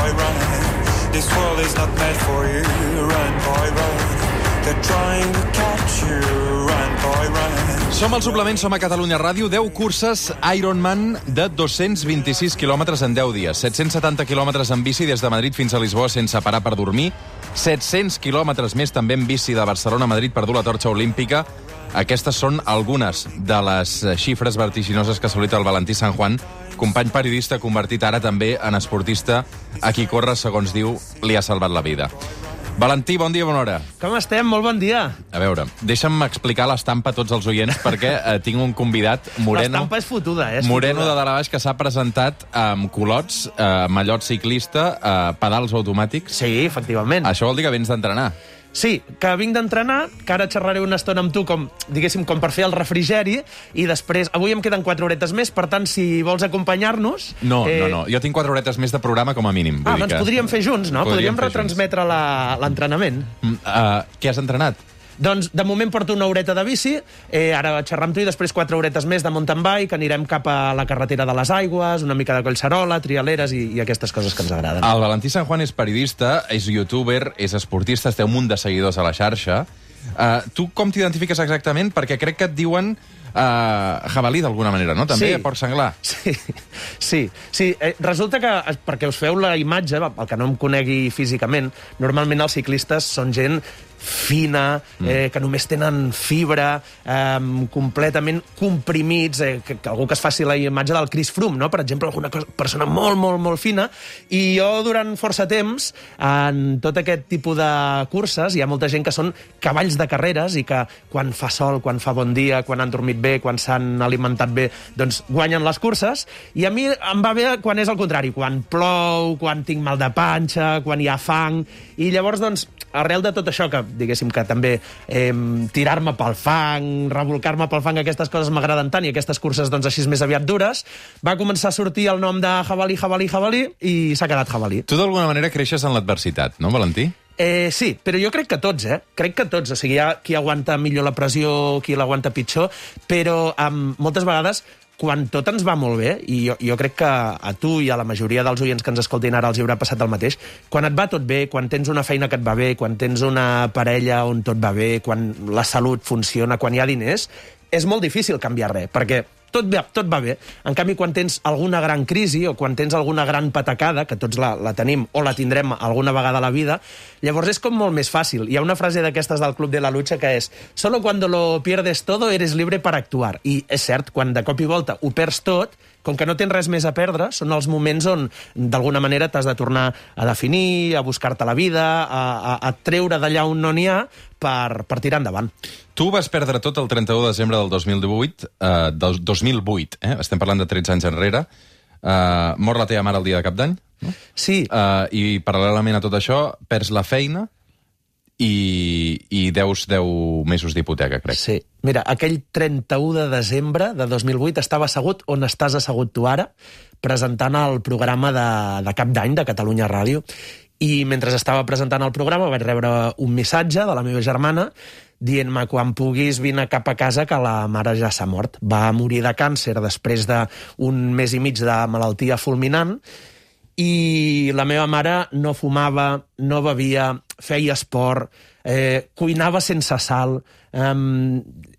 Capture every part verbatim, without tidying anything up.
boy, run. This world is not meant for you. Run, boy, run. They're trying to catch you. Run, boy, run. Som al suplement, som a Catalunya Ràdio. deu curses Ironman de dos-cents vint-i-sis quilòmetres en deu dies. set-cents setanta quilòmetres en bici des de Madrid fins a Lisboa sense parar per dormir. set-cents quilòmetres més també en bici de Barcelona a Madrid per dur la torxa olímpica. Aquestes són algunes de les xifres vertiginoses que ha assolit el Valentí San Juan, company periodista convertit ara també en esportista, a qui córrer, segons diu, li ha salvat la vida. Valentí, bon dia, bona hora. Com estem? Molt bon dia. A veure, deixa'm explicar l'estampa a tots els oients perquè eh, tinc un convidat moreno... L'estampa és fotuda, eh? És moreno fotuda. de dalt a baix que s'ha presentat amb culots, eh, mallot ciclista, eh, pedals automàtics. Sí, efectivament. Això vol dir que vens d'entrenar. Sí, que vinc d'entrenar, que ara xerraré una estona amb tu, com, diguéssim, com per fer el refrigeri, i després, avui em queden quatre horetes més, per tant, si vols acompanyar-nos... No, eh... no, no, jo tinc quatre horetes més de programa com a mínim. Vull Ah, dir doncs que... podríem fer junts, no? Podríem Podríem, fer retransmetre la- l'entrenament. Mm, uh, què has entrenat? Doncs, de moment porto una horeta de bici, eh, ara xerrar amb tu i després quatre horetes més de mountain bike, anirem cap a la carretera de les Aigües, una mica de Collserola, trialeres i, i aquestes coses que ens agraden. El Valentí San Juan és periodista, és youtuber, és esportista, té un munt de seguidors a la xarxa. Uh, tu com t'identifiques exactament? Perquè crec que et diuen uh, jabalí d'alguna manera, no? També, Sí. porc senglar. Sí, sí. sí. Eh, resulta que, perquè us feu la imatge, el que no em conegui físicament, normalment els ciclistes són gent fina, eh, que només tenen fibra, eh, completament comprimits, eh, que, que algú que es faci la imatge del Chris Froome, no? Per exemple, alguna cosa, persona molt, molt, molt fina, i jo durant força temps, en tot aquest tipus de curses, hi ha molta gent que són cavalls de carreres i que quan fa sol, quan fa bon dia, quan han dormit bé, quan s'han alimentat bé, doncs guanyen les curses, i a mi em va bé quan és el contrari, quan plou, quan tinc mal de panxa, quan hi ha fang, i llavors, doncs, arrel de tot això, que diguéssim que també eh, tirar-me pel fang, revolcar-me pel fang, aquestes coses m'agraden tant, i aquestes curses doncs així més aviat dures, va començar a sortir el nom de jabalí, jabalí, jabalí, i s'ha quedat jabalí. Tu d'alguna manera creixes en l'adversitat, no, Valentí? Eh, sí, però jo crec que tots, eh? Crec que tots. O sigui, hi ha qui aguanta millor la pressió, qui l'aguanta pitjor, però um, moltes vegades quan tot ens va molt bé, i jo, jo crec que a tu i a la majoria dels oients que ens escoltin ara els hi haurà passat el mateix, quan et va tot bé, quan tens una feina que et va bé, quan tens una parella on tot va bé, quan la salut funciona, quan hi ha diners, és molt difícil canviar res, perquè tot va, tot va bé. En canvi, quan tens alguna gran crisi o quan tens alguna gran patacada, que tots la, la tenim o la tindrem alguna vegada a la vida, llavors és com molt més fàcil. Hi ha una frase d'aquestes del Club de la Lucha que és «Solo cuando lo pierdes todo eres libre para actuar». I és cert, quan de cop i volta ho perds tot, com que no tens res més a perdre, són els moments on, d'alguna manera, t'has de tornar a definir, a buscar-te la vida, a, a, a treure d'allà on no n'hi ha per, per tirar endavant. Tu vas perdre tot el trenta-u de desembre del dos mil divuit, eh, del dos mil vuit, eh? Estem parlant de tretze anys enrere. Eh, mor la teva mare el dia de Cap d'Any, no? Sí. Eh, I paral·lelament a tot això, perds la feina i, i deus deu mesos d'hipoteca, crec. Sí. Mira, aquell trenta-u de desembre de dos mil vuit estava assegut on estàs assegut tu ara, presentant el programa de, de Cap d'Any de Catalunya Ràdio, i mentre estava presentant el programa vaig rebre un missatge de la meva germana dient-me quan puguis vine cap a casa que la mare ja s'ha mort. Va morir de càncer després d'un mes i mig de malaltia fulminant, i la meva mare no fumava, no bevia, feia esport, eh, cuinava sense sal, eh,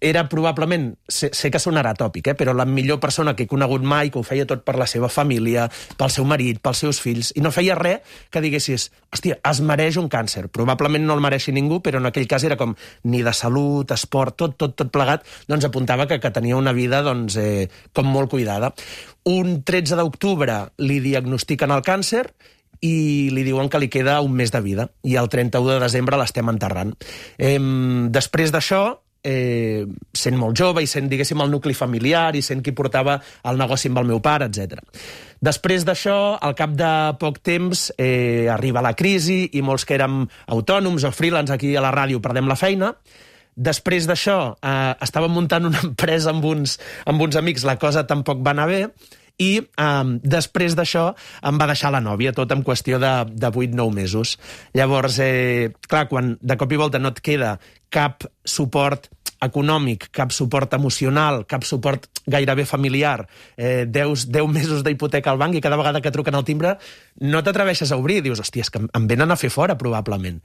era probablement, sé, sé que sonarà tòpic, eh, però la millor persona que he conegut mai, que ho feia tot per la seva família, pel seu marit, pels seus fills, i no feia res que diguessis, hòstia, es mereix un càncer. Probablement no el mereixi ningú, però en aquell cas era com ni de salut, esport, tot, tot, tot plegat, doncs apuntava que, que tenia una vida doncs, eh, com molt cuidada. Un tretze d'octubre li diagnostiquen el càncer i li diuen que li queda un mes de vida, i el trenta-u de desembre l'estem enterrant. Eh, després d'això, eh, sent molt jove i sent, diguéssim, el nucli familiar i sent qui portava el negoci amb el meu pare, etcètera. Després d'això, al cap de poc temps, eh, arriba la crisi i molts que érem autònoms o freelance aquí a la ràdio perdem la feina. Després d'això, eh, estàvem muntant una empresa amb uns, amb uns amics, la cosa tampoc va anar bé, i eh, després d'això em va deixar la nòvia, tot en qüestió de, de vuit nou mesos. Llavors, eh, clar, quan de cop i volta no et queda cap suport econòmic, cap suport emocional, cap suport gairebé familiar, eh, deu mesos d'hipoteca al banc i cada vegada que truquen al timbre no t'atreveixes a obrir. Dius, hòstia, és que em venen a fer fora, probablement.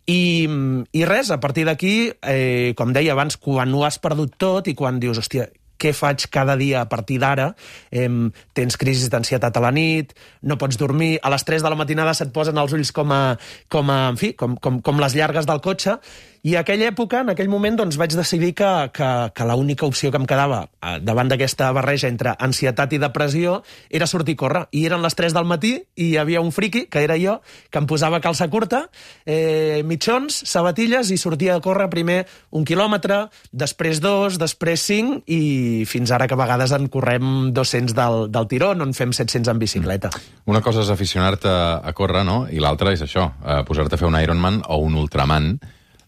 I, i res, a partir d'aquí, eh, com deia abans, quan ho has perdut tot i quan dius, hòstia, què faig cada dia a partir d'ara? Eh, tens crisis d'ansietat a la nit, no pots dormir, a les tres de la matinada se't posen els ulls com a, com a, en fi, com, com, com les llargues del cotxe, i a aquella època, en aquell moment, doncs, vaig decidir que, que, que l'única opció que em quedava davant d'aquesta barreja entre ansietat i depressió era sortir a córrer. I eren les tres del matí i hi havia un friqui, que era jo, que em posava calça curta, eh, mitjons, sabatilles, i sortia a córrer primer un quilòmetre, després dos, després cinc, i fins ara que a vegades en correm dos-cents del, del tirón, on fem set-cents en bicicleta. Una cosa és aficionar-te a córrer, no? I l'altra és això, eh, posar-te a fer un Ironman o un Ultraman,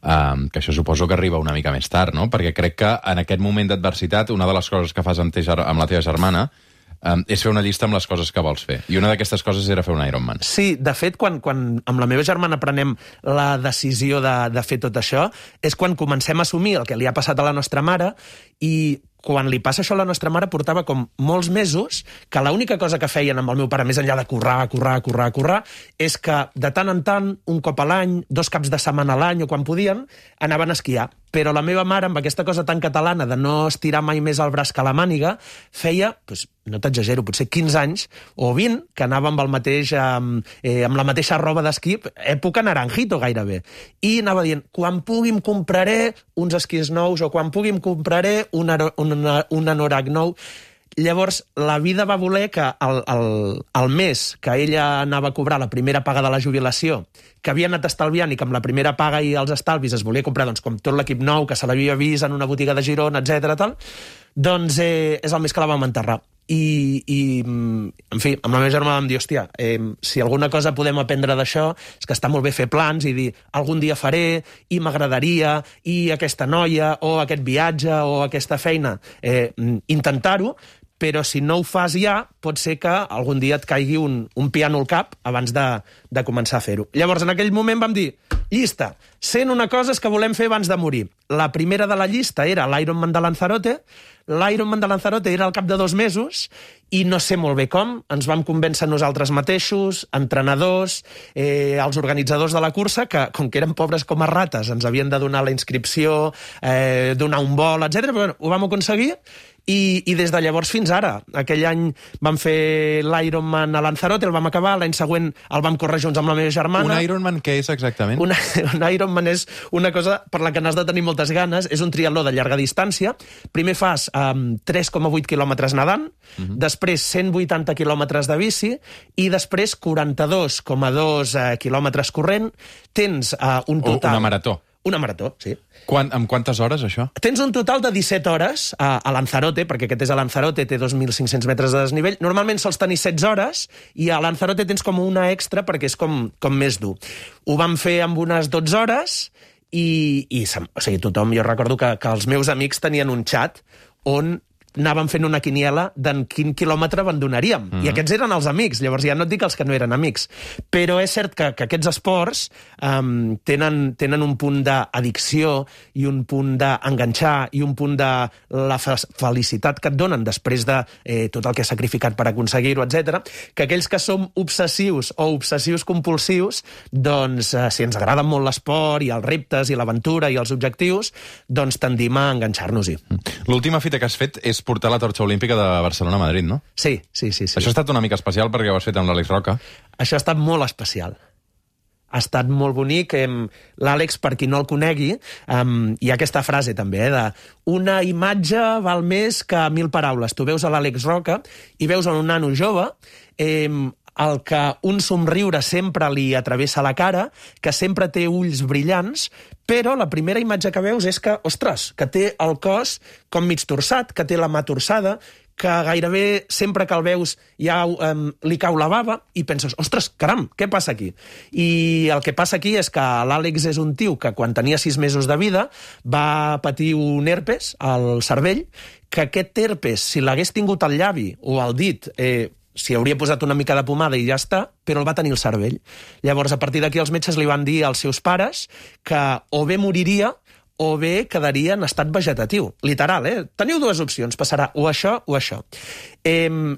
Um, que això suposo que arriba una mica més tard, no? Perquè crec que en aquest moment d'adversitat una de les coses que fas amb, te, amb la teva germana um, és fer una llista amb les coses que vols fer. I una d'aquestes coses era fer un Ironman. Sí, de fet, quan, quan amb la meva germana prenem la decisió de, de fer tot això, és quan comencem a assumir el que li ha passat a la nostra mare, i quan li passa això a la nostra mare portava com molts mesos que l'única cosa que feien amb el meu pare, més enllà de currar, currar, currar, currar, és que de tant en tant, un cop a l'any, dos caps de setmana a l'any o quan podien, anaven a esquiar. Però la meva mare, amb aquesta cosa tan catalana de no estirar mai més el braç que la màniga, feia, doncs, no t'exagero, potser quinze anys o vint, que anava amb, el mateix, eh, amb la mateixa roba d'esquí, època naranjito gairebé. I anava dient, quan pugui em compraré uns esquís nous o quan pugui em compraré un, un, un anorac nou. Llavors, la vida va voler que el, el, el mes que ella anava a cobrar la primera paga de la jubilació, que havia anat estalviant i que amb la primera paga i els estalvis es volia comprar, doncs, com tot l'equip nou, que se l'havia vist en una botiga de Girona, etcètera, tal, doncs eh, és el mes que la vam enterrar. I, i, en fi, amb la meva germana vam dir, hòstia, eh, si alguna cosa podem aprendre d'això és que està molt bé fer plans i dir, algun dia faré, i m'agradaria, i aquesta noia, o aquest viatge, o aquesta feina, eh, intentar-ho, però si no ho fas ja, pot ser que algun dia et caigui un, un piano al cap abans de, de començar a fer-ho. Llavors, en aquell moment vam dir, llista, cent una coses que volem fer abans de morir. La primera de la llista era l'Ironman de Lanzarote. L'Ironman de Lanzarote era al cap de dos mesos i no sé molt bé com, ens vam convèncer nosaltres mateixos, entrenadors, eh, els organitzadors de la cursa, que com que eren pobres com a rates, ens havien de donar la inscripció, eh, donar un vol, etcètera. Però bueno, ho vam aconseguir. I, i des de llavors fins ara. Aquell any vam fer l'Ironman a Lanzarote, el vam acabar, l'any següent el vam córrer junts amb la meva germana. Un Ironman què és exactament? Una, un Ironman és una cosa per la que n'has de tenir moltes ganes, és un triatló de llarga distància. Primer fas um, tres coma vuit quilòmetres nedant, uh-huh. després cent vuitanta quilòmetres de bici i després quaranta-dos coma dos uh, quilòmetres corrent. Tens uh, un total... O una marató. Una marató, sí. Quan, amb quantes hores, això? Tens un total de disset hores a, a Lanzarote, perquè aquest és a Lanzarote, té dos mil cinc-cents metres de desnivell. Normalment sols tenir setze hores, i a Lanzarote tens com una extra perquè és com, com més dur. Ho vam fer amb unes dotze hores, i, i o sigui, tothom, jo recordo que, que els meus amics tenien un xat on anàvem fent una quiniela d'en quin quilòmetre abandonaríem. Mm-hmm. I aquests eren els amics, llavors ja no et dic els que no eren amics. Però és cert que, que aquests esports um, tenen, tenen un punt d'addicció i un punt d'enganxar i un punt de la felicitat que et donen després de eh, tot el que has sacrificat per aconseguir-ho, etcètera, que aquells que som obsessius o obsessius compulsius, doncs, eh, si ens agrada molt l'esport i els reptes i l'aventura i els objectius, doncs tendim a enganxar-nos-hi. L'última fita que has fet és portar la torxa olímpica de Barcelona a Madrid, no? Sí, sí, sí, sí. Això ha estat una mica especial perquè ho has fet amb l'Àlex Roca. Això ha estat molt especial. Ha estat molt bonic. L'Àlex, per qui no el conegui, hi ha aquesta frase també, eh, de una imatge val més que mil paraules. Tu veus a l'Àlex Roca i veus a un nano jove eh, el que un somriure sempre li atravessa la cara, que sempre té ulls brillants, però la primera imatge que veus és que, ostres, que té el cos com mig torçat, que té la mà torçada, que gairebé sempre que el veus ja um, li cau la bava i penses, ostres, caram, què passa aquí? I el que passa aquí és que l'Àlex és un tio que quan tenia sis mesos de vida va patir un herpes al cervell, que aquest herpes, si l'hagués tingut al llavi o al dit, eh, s'hi hauria posat una mica de pomada i ja està, però el va tenir el cervell. Llavors, a partir d'aquí, els metges li van dir als seus pares que o bé moriria o bé quedaria en estat vegetatiu. Literal, eh? Teniu dues opcions, passarà o això o això. Eh,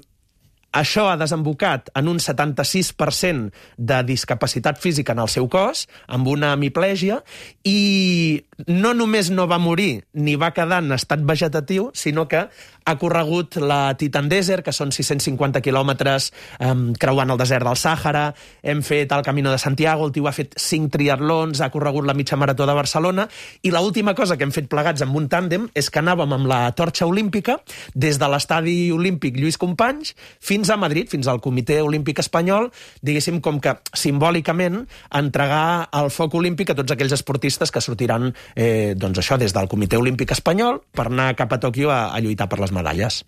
Això ha desembocat en un setanta-sis per cent de discapacitat física en el seu cos, amb una hemiplegia, i no només no va morir ni va quedar en estat vegetatiu, sinó que ha corregut la Titan Desert, que són sis-cents cinquanta quilòmetres eh, creuant el desert del Sàhara, hem fet el Camino de Santiago, el tio ha fet cinc triatlons, ha corregut la mitja marató de Barcelona, i l'última cosa que hem fet plegats amb un tàndem és que anàvem amb la torxa olímpica des de l'estadi olímpic Lluís Companys fins a Madrid, fins al Comitè Olímpic Espanyol, diguéssim com que simbòlicament entregar el foc olímpic a tots aquells esportistes que sortiran eh, doncs això, des del Comitè Olímpic Espanyol per anar cap a Tòquio a, a lluitar per les medalles.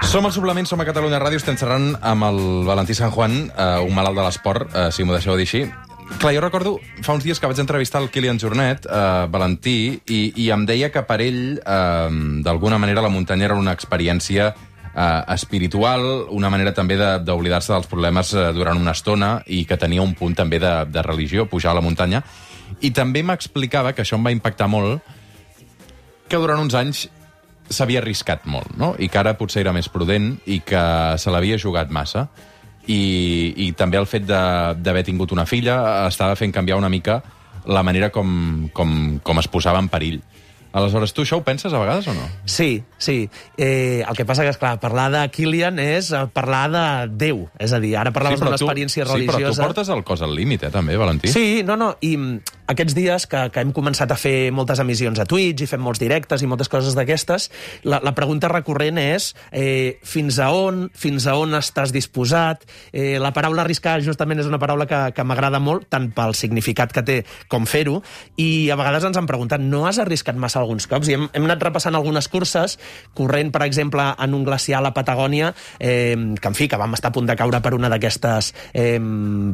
Som al Suplement, som a Catalunya Ràdio, estem xerrant amb el Valentí San Juan, eh, un malalt de l'esport, eh, si m'ho deixeu dir així. Clar, jo recordo fa uns dies que vaig entrevistar el Kilian Jornet, eh, Valentí, i, i em deia que per ell, eh, d'alguna manera, la muntanya era una experiència eh, espiritual, una manera també d'oblidar-se de, dels problemes eh, durant una estona, i que tenia un punt també de, de religió, pujar a la muntanya. I també m'explicava, que això em va impactar molt, que durant uns anys s'havia arriscat molt, no? I que ara potser era més prudent i que se l'havia jugat massa. I, i també el fet d'haver tingut una filla estava fent canviar una mica la manera com, com, com es posava en perill. Aleshores, tu això ho penses a vegades o no? Sí, sí. Eh, el que passa que, esclar, parlar de Kilian és parlar de Déu. És a dir, ara parlaves sí, d'una experiència religiosa... Sí, però tu portes el cos al límit, eh, també, Valentí? Sí, no, no, i aquests dies que, que hem començat a fer moltes emissions a Twitch i fem molts directes i moltes coses d'aquestes, la, la pregunta recurrent és eh, fins a on, fins a on estàs disposat? Eh, la paraula arriscar justament és una paraula que, que m'agrada molt, tant pel significat que té com fer-ho, i a vegades ens han preguntat, no has arriscat massa alguns cops? I hem, hem anat repassant algunes curses, corrent, per exemple, en un glaciar a la Patagònia, eh, que, en fi, que vam estar a punt de caure per una d'aquestes eh,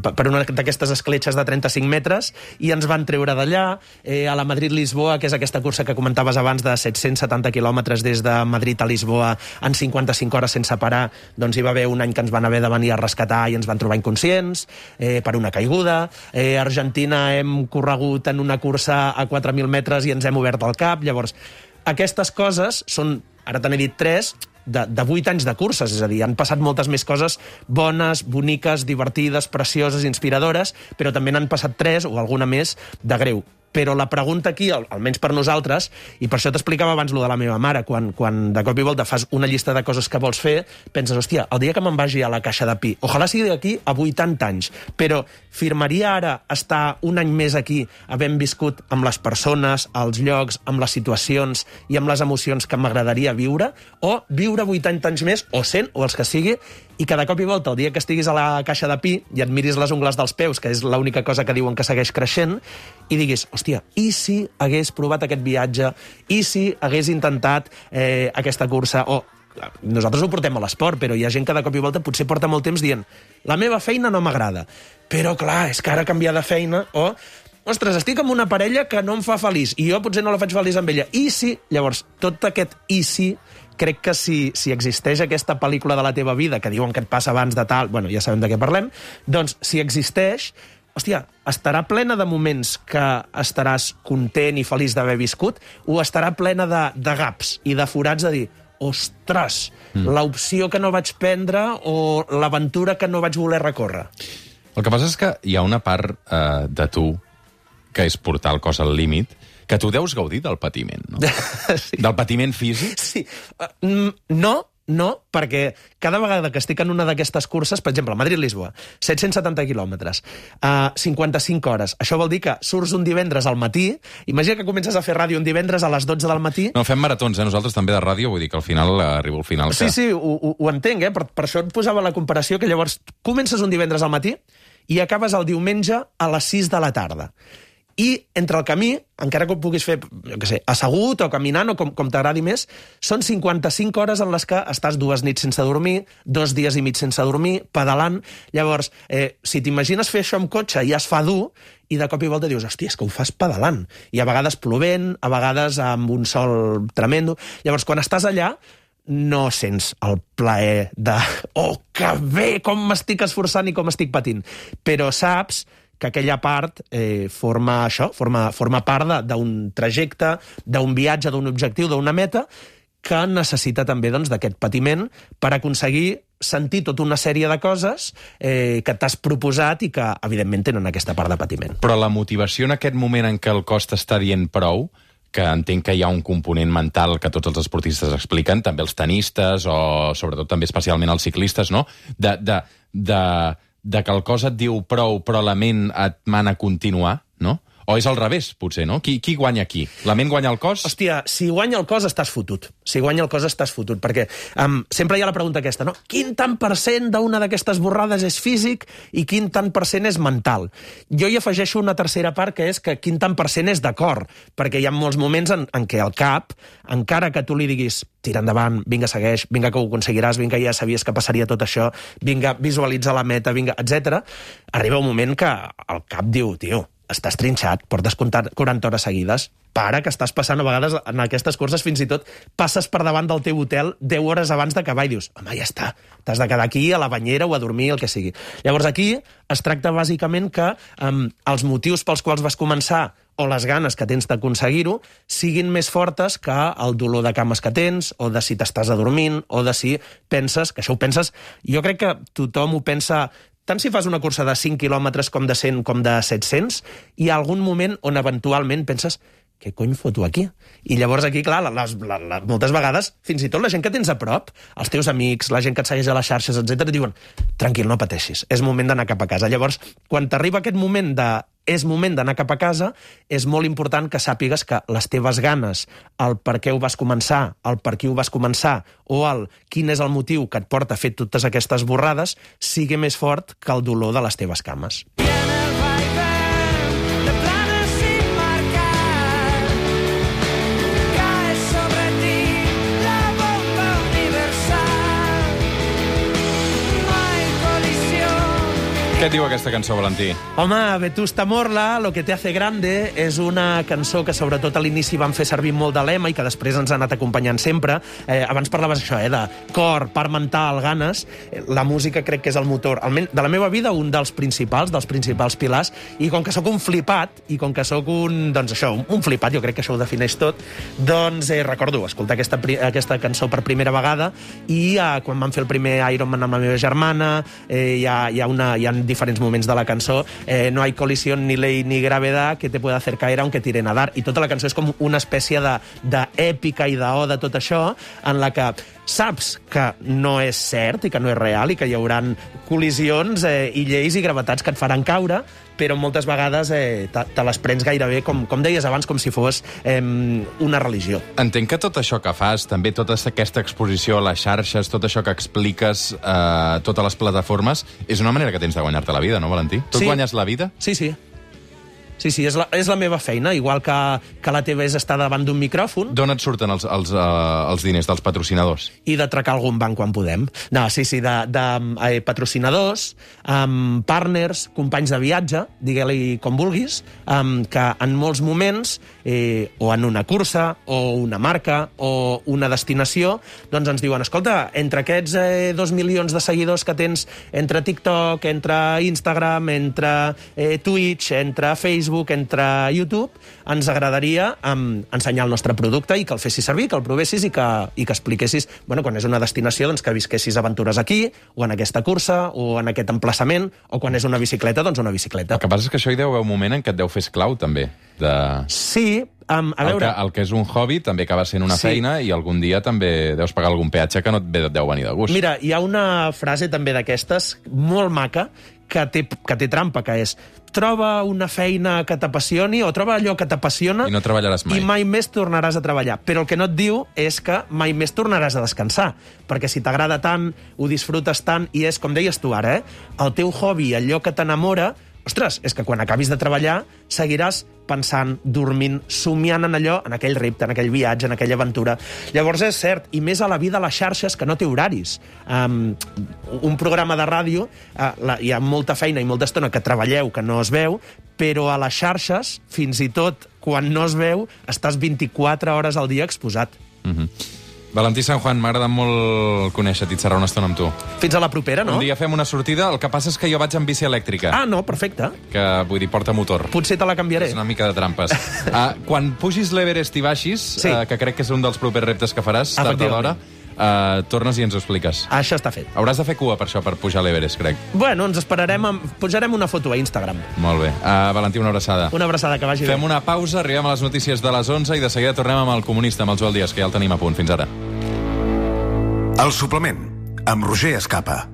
per una d'aquestes escletxes de trenta-cinc metres, i ens van treure d'allà. Eh, a la Madrid-Lisboa, que és aquesta cursa que comentaves abans de set-cents setanta quilòmetres des de Madrid a Lisboa en cinquanta-cinc hores sense parar, doncs hi va haver un any que ens van haver de venir a rescatar i ens van trobar inconscients eh, per una caiguda. Eh, a Argentina hem corregut en una cursa a quatre mil metres i ens hem obert el cap. Llavors, aquestes coses són, ara te n'he dit tres, de, de vuit anys de curses, és a dir, han passat moltes més coses bones, boniques, divertides, precioses, inspiradores, però també n'han passat tres o alguna més de greu. Però la pregunta aquí, almenys per nosaltres, i per això t'explicava abans lo de la meva mare, quan, quan de cop i volta fas una llista de coses que vols fer, penses, hòstia, el dia que me'n vagi a la caixa de pi, ojalà sigui d'aquí a vuitanta anys, però firmaria ara estar un any més aquí, havent viscut amb les persones, els llocs, amb les situacions i amb les emocions que m'agradaria viure, o viure vuitanta anys més, o cent, o els que sigui, i que de cop i volta, el dia que estiguis a la caixa de pi i et miris les ungles dels peus, que és l'única cosa que diuen que segueix creixent, i diguis, hòstia, i si hagués provat aquest viatge, i si hagués intentat eh, aquesta cursa, o nosaltres ho portem a l'esport, però hi ha gent que de cop i volta potser porta molt temps dient, la meva feina no m'agrada, però clar, és que ara canviar de feina, o ostres, estic amb una parella que no em fa feliç, i jo potser no la faig feliç amb ella, i si, llavors, tot aquest i si, crec que si, si existeix aquesta pel·lícula de la teva vida, que diuen que et passa abans de tal, bueno, ja sabem de què parlem, doncs, si existeix, hòstia, estarà plena de moments que estaràs content i feliç d'haver viscut, o estarà plena de, de gaps i de forats a dir, ostres, mm. l'opció que no vaig prendre o l'aventura que no vaig voler recórrer. El que passa és que hi ha una part eh, de tu que és portar el cos al límit, que tu deus gaudir del patiment, no? Sí. Del patiment físic? Sí. Uh, no, no, perquè cada vegada que estic en una d'aquestes curses, per exemple, Madrid-Lisboa, set-cents setanta quilòmetres, uh, cinquanta-cinc hores. Això vol dir que surts un divendres al matí, imagina que comences a fer ràdio un divendres a les dotze del matí... No, fem maratons, eh? Nosaltres també de ràdio, vull dir que al final arribo al final... Sí, que... sí, ho, ho, ho entenc, eh? Per, per això et posava la comparació, que llavors comences un divendres al matí i acabes el diumenge a les sis de la tarda. I entre el camí, encara que ho puguis fer, jo què sé, assegut o caminant o com, com t'agradi més, són cinquanta-cinc hores en les que estàs dues nits sense dormir, dos dies i mig sense dormir, pedalant. Llavors, eh, si t'imagines fer això amb cotxe i es fa dur, i de cop i volta dius, hòstia, és que ho fas pedalant. I a vegades plovent, a vegades amb un sol tremendo. Llavors, quan estàs allà, no sents el plaer de oh, que bé, com m'estic esforçant i com estic patint. Però saps que aquella part eh, forma això, forma, forma part d'un trajecte, d'un viatge, d'un objectiu, d'una meta, que necessita també doncs, d'aquest patiment per aconseguir sentir tota una sèrie de coses eh, que t'has proposat i que, evidentment, tenen aquesta part de patiment. Però la motivació en aquest moment en què el cos t'està dient prou, que entenc que hi ha un component mental que tots els esportistes expliquen, també els tenistes o, sobretot, també especialment els ciclistes, no? De, de, de, de que el cos et diu prou, però la ment et mana a continuar, no? O és al revés, potser, no? Qui, qui guanya aquí? La ment guanya el cos? Hòstia, si guanya el cos estàs fotut. Si guanya el cos estàs fotut, perquè um, sempre hi ha la pregunta aquesta, no? Quin tant per cent d'una d'aquestes borrades és físic i quin tant per cent és mental? Jo hi afegeixo una tercera part, que és que quin tant per cent és de cor, perquè hi ha molts moments en, en què el cap, encara que tu li diguis tira endavant, vinga, segueix, vinga, que ho aconseguiràs, vinga, ja sabies que passaria tot això, vinga, visualitza la meta, vinga, etcètera, arriba un moment que el cap diu, tio, estàs trinxat, portes quaranta hores seguides, para, que estàs passant a vegades en aquestes curses, fins i tot passes per davant del teu hotel deu hores abans d'acabar i dius, home, ja està, t'has de quedar aquí a la banyera o a dormir, el que sigui. Llavors aquí es tracta bàsicament que um, els motius pels quals vas començar o les ganes que tens d'aconseguir-ho siguin més fortes que el dolor de cames que tens, o de si t'estàs adormint, o de si penses, que això ho penses, jo crec que tothom ho pensa, tant si fas una cursa de cinc quilòmetres com de cent com de set-cents, hi ha algun moment on eventualment penses què cony foto aquí? I llavors aquí, clar, les, les, les, moltes vegades, fins i tot la gent que tens a prop, els teus amics, la gent que et segueix a les xarxes, etcètera, et diuen, tranquil, no pateixis, és moment d'anar cap a casa. Llavors, quan t'arriba aquest moment de és moment d'anar cap a casa, és molt important que sàpigues que les teves ganes, el per què ho vas començar, el per qui ho vas començar, o el quin és el motiu que et porta a fer totes aquestes borrades, sigui més fort que el dolor de les teves cames. Què et diu aquesta cançó, Valentí? Home, Vetusta Morla, Lo que te hace grande, és una cançó que sobretot a l'inici van fer servir molt de lema i que després ens ha anat acompanyant sempre. Eh, abans parlaves això, eh, de cor, part mental, ganes. La música crec que és el motor, almenys de la meva vida, un dels principals, dels principals pilars, i com que sóc un flipat, i com que sóc un, doncs això, un, un flipat, jo crec que això ho defineix tot, doncs eh, recordo escoltar aquesta, aquesta cançó per primera vegada i eh, quan vam fer el primer Ironman amb la meva germana, eh, hi ha, hi ha una... Hi ha diferents moments de la cançó, eh, no hay colisión ni ley ni gravedad que te pueda hacer caer aunque tire nadar, i tota la cançó és com una espècie d'èpica i d'oda, tot això, en la que saps que no és cert i que no és real i que hi haurà col·lisions eh, i lleis i gravetats que et faran caure, però moltes vegades eh, te, te les prens gairebé, com, com deies abans, com si fos eh, una religió. Entenc que tot això que fas, també tota aquesta exposició a les xarxes, tot això que expliques a eh, totes les plataformes, és una manera que tens de guanyar-te la vida, no, Valentí? Tu sí. et guanyes la vida? Sí, sí. Sí, sí, és la, és la meva feina, igual que, que la teva és estar davant d'un micròfon. D'on et surten els, els, uh, els diners dels patrocinadors? I d'atracar algun banc quan podem. No, sí, sí, de, de eh, patrocinadors, um, partners, companys de viatge, digue-li com vulguis, um, que en molts moments, eh, o en una cursa, o una marca, o una destinació, doncs ens diuen, escolta, entre aquests eh, dos milions de seguidors que tens entre TikTok, entre Instagram, entre eh, Twitch, entre Facebook, entre YouTube, ens agradaria um, ensenyar el nostre producte i que el fessis servir, que el provessis i que, i que expliquessis, bueno, quan és una destinació, doncs que visquessis aventures aquí, o en aquesta cursa, o en aquest emplaçament, o quan és una bicicleta, doncs una bicicleta. El que passa és que això hi deu haver un moment en què et deu fer esclau, també. De... Sí, um, a veure... El que, el que és un hobby també acaba sent una sí. feina i algun dia també deus pagar algun peatge que no et deu venir de gust. Mira, hi ha una frase també d'aquestes, molt maca, que té, que té trampa, que és troba una feina que t'apassioni o troba allò que t'apassiona i no treballaràs mai. I mai més tornaràs a treballar. Però el que no et diu és que mai més tornaràs a descansar, perquè si t'agrada tant, ho disfrutes tant, i és, com deies tu ara, eh? el teu hobby, allò que t'enamora, ostres, és que quan acabis de treballar seguiràs pensant, dormint, somiant en allò, en aquell repte, en aquell viatge, en aquella aventura. Llavors és cert, i més a la vida a les xarxes, que no té horaris. Um, un programa de ràdio, uh, la, hi ha molta feina i molta estona que treballeu, que no es veu, però a les xarxes, fins i tot quan no es veu, estàs vint-i-quatre hores al dia exposat. Mm-hmm. Valentí San Juan, m'ha agradat molt conèixer-te i xerrar una estona amb tu. Fins a la propera, no? Un dia fem una sortida, el que passa és que jo vaig amb bici elèctrica. Ah, no, perfecte. Que, vull dir, porta motor. Potser te la canviaré. És una mica de trampes. uh, quan pugis l'Everest i baixis, Sí. uh, que crec que és un dels propers reptes que faràs, tard o d'hora, uh, tornes i ens ho expliques. Això està fet. Hauràs de fer cua per això, per pujar a l'Everest, crec. Bueno, ens esperarem, amb... pujarem una foto a Instagram. Molt bé. Uh, Valentí, una abraçada. Una abraçada, que vagi Fem bé. una pausa, arribem a les notícies de les onze i de seguida tornem amb el comunista, amb el Joel Díaz, que ja el tenim a punt. Fins ara. El suplement, amb Roger Escapa.